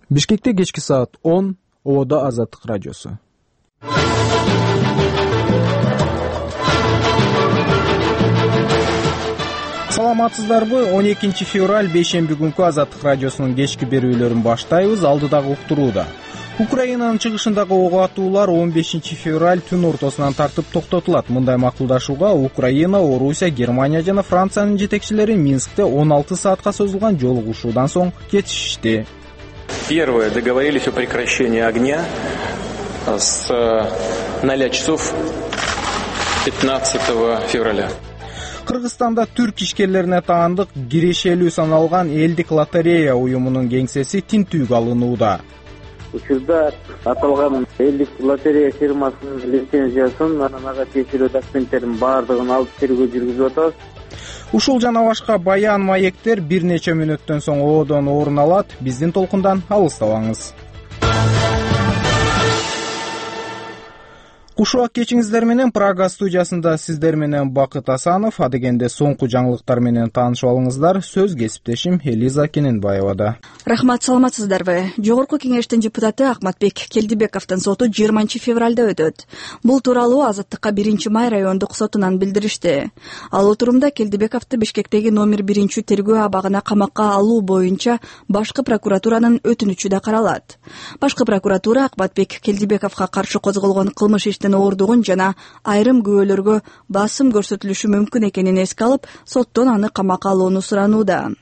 Бишкекте кечки саат 10, Ободо Азаттык радиосу. Саламатсыздарбы? 12 февраль бейшемби күнкү Азаттык радиосунун кечки берүүлөрүн баштайбыз. Алдыдагы уктурууда. Украинанын чыгышындагы ок атуулар 15 февраль түн ортосунан тартып токтотулат. Мындай макулдашууга Украина, Орусия, Германия жана Франциянын жетекчилери Минскте 16 саатка созулган жолугушуудан соң жетишишти. Первое, договорились о прекращении огня с 0 часов 15 февраля. Кыргызстанда түрк ишкерлерине таандык кирешелүү саналган элдик лотерея уюмунун кеңсеси тинтүүгө алынууда. Учурда аталган элдик лотерея фирмасынын лицензиясын, анан ага тиешелүү документтердин баардыгын алып тергөө жүргүзүп атабыз. Ушул жана башка баян маектер бир нече мүнөттөн соң Ободон орун алат. Биздин толкундан алыстабаңыз. Кушубак кечиңиздер менен Прага студиясында сиздер менен Бакыт Асанов. Адегенде соңку жаңылыктар менен таанышып алыңыздар. Сөз кесиптешим Элиза Кененбаевада. Рахмат, саламатсыздарбы? Жогорку кеңештин депутаты Акматбек Келдибековдун соту 20 февралда өтөт. Бул тууралуу Азаттыкка 1 май райондук сотунан билдиришти. Ал отурумда Келдибековду Бишкектеги номер 1 тергөө абагына камакка алуу боюнча башкы прокуратуранын өтүнүчү да каралат. Башкы прокуратура Акматбек Келдибековго каршы козголгон кылмыш иштин оордугун жана айрым күбөлөргө басым көрсөтүлүшү мүмкүн экенин эске алып, соттон аны камакка алууну суранууда.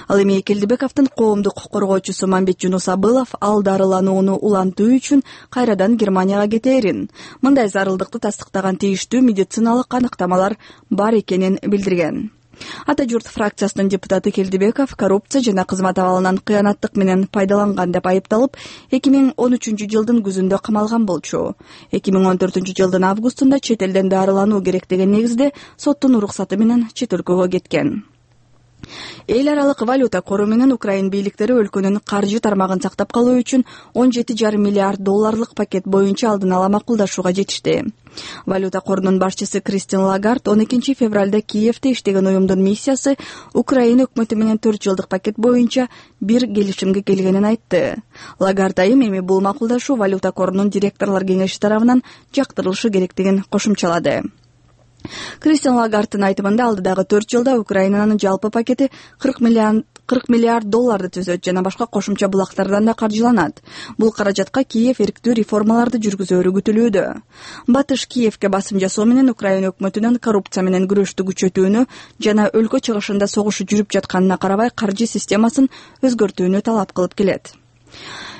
Ал эми Келдибековдун коомдук коргоочусу Мамбет Жунус Абылов ал дарыланууну улантуу үчүн кайрадан Германияга кетээрин, мындай зарылдыкты тастыктаган тийиштүү медициналык аныктамалар бар экенин билдирген. Ата журт фракциясынын депутаты Келдибеков коррупция жана кызмат абалынан кыянаттык менен пайдаланган деп айыпталып, 2013 жылдын күзүндө камалган болчу. 2014 жылдын августунда чет элден дарылануу керек деген негизде соттун уруксаты менен чет өлкөгө кеткен. Эл аралык валюта кору менен Украин бийликтери өлкөнүн каржы тармагын сактап калуу үчүн 17,5 миллиард долларлык пакет боюнча алдын ала макулдашууга жетишти. Валюта корунун башчысы Кристин Лагард 12 февралда Киевде иштеген уюмдун миссиясы Украина өкмөтү менен 4 жылдык пакет боюнча бир келишимге келгенин айтты. Лагард айым эми бул макулдашуу валюта корунун директорлор кеңеши тарабынан жактырылышы керектигин кошумчалады. Кристин Лагардтын айтымында алдыдагы 4 жылда Украинанын жалпы пакети 40 миллиард долларды түзөт жана башка кошумча булактардан да каржыланат. Бул каражатка Киев эрктүү реформаларды жүргүзөрү күтүлүүдө. Батыш Киевге басым жасоо менен Украина өкмөтүнүн коррупция менен күрөштү күчөтүүнү жана өлкө чыгышында согуш жүрүп жатканына карабай каржы системасын өзгөртүүнү талап кылып келет.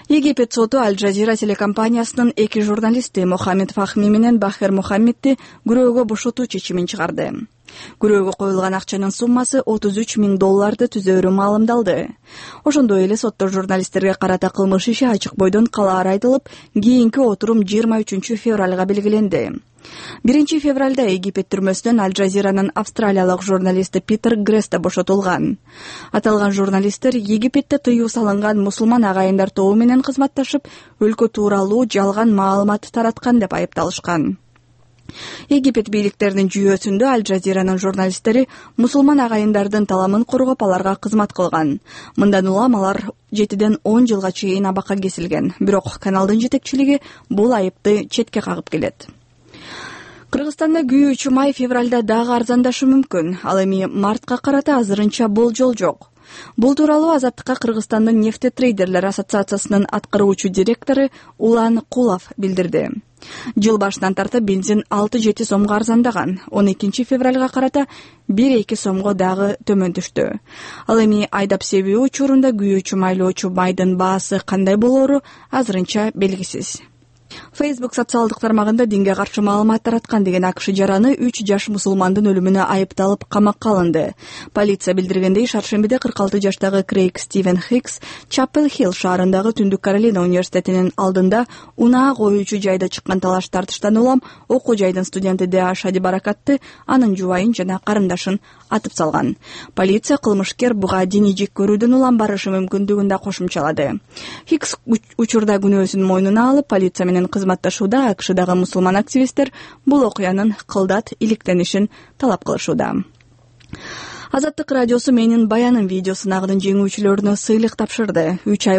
Египет соту Аль-Джазира телекомпаниясынын 2 журналисти Мохаммед Фахми менен Бахер Мухаммедти күрөөгө бошотуу чечимин чыгарды. Күрөөгө коюлган акчанын суммасы 33 000 долларды түзөөрү маалымдалды. Ошондой эле сотто журналисттерге карата кылмыш иши ачык бойдон калаары айтылып, кийинки отурум 23 февралга белгиленди. 1 февралда Египет түрмөсүнөн Аль-Джазиранын австралиялык журналисти Питер Греста бошотулган. Аталган журналисттер Египетте тыюу салынган мусулман агайындар тобу менен кызматташып, өлкө тууралуу жалган маалымат тараткан деп айыпталышкан. Египет бийликтеринин жүйөсүндө Аль-Джазиранын журналисттери мусулман агайындардын таламын коргоп аларга кызмат кылган. Мындан улам алар 7-ден 10 жылга чейин абакка кесилген. Бирок каналдын жетекчилиги бул айыпты четке кагып келет. Кыргызстанда күйүүчү май февралда дагы арзандашы мүмкүн. Ал эми мартка карата азырынча болжол жок. Бул тууралуу Азаттыкка Кыргызстандын нефтетрейдерлер ассоциациясынын аткаруучу директору Улан Кулов билдирди. Жыл башынан тарта бензин 6-7 сомго арзандаган. 12 февралга карата 1-2 сомго дагы төмөн түштү. Ал эми айдап себүү учурунда күйүүчү майлоочу майдын баасы кандай болоору азырынча белгисиз. Facebook социалдык тармагында динге каршы маалымат тараткан деген АКШ жараны 3 жаш мусулмандын өлүмүнө айыпталып камакка алынды. Полиция билдиргендей, шаршембиде 46 жаштагы Крейг Стивен Хикс Чапел-Хилл шаарындагы Түндүк Каролина университетинин алдында унаа коюучу жайда чыккан талаш тартыштан улам окуу жайдын студенти Деа Шади Баракатты, анын жубайын жана карындашын атып салган. Полиция кылмышкер буга диний жек көрүүдөн улам барышы мүмкүндүгүн да кошумчалады. Хикс учурда күнөөсүн мойнуна алып, полиция менен кызматташууда. АКШдагы мусулман активисттер бул окуянын кылдат иликтенишин талап кылышууда. Азаттык радиосу менин баяным видео сынагынын жеңүүчүлөрүнө сыйлык тапшырды. 3 ай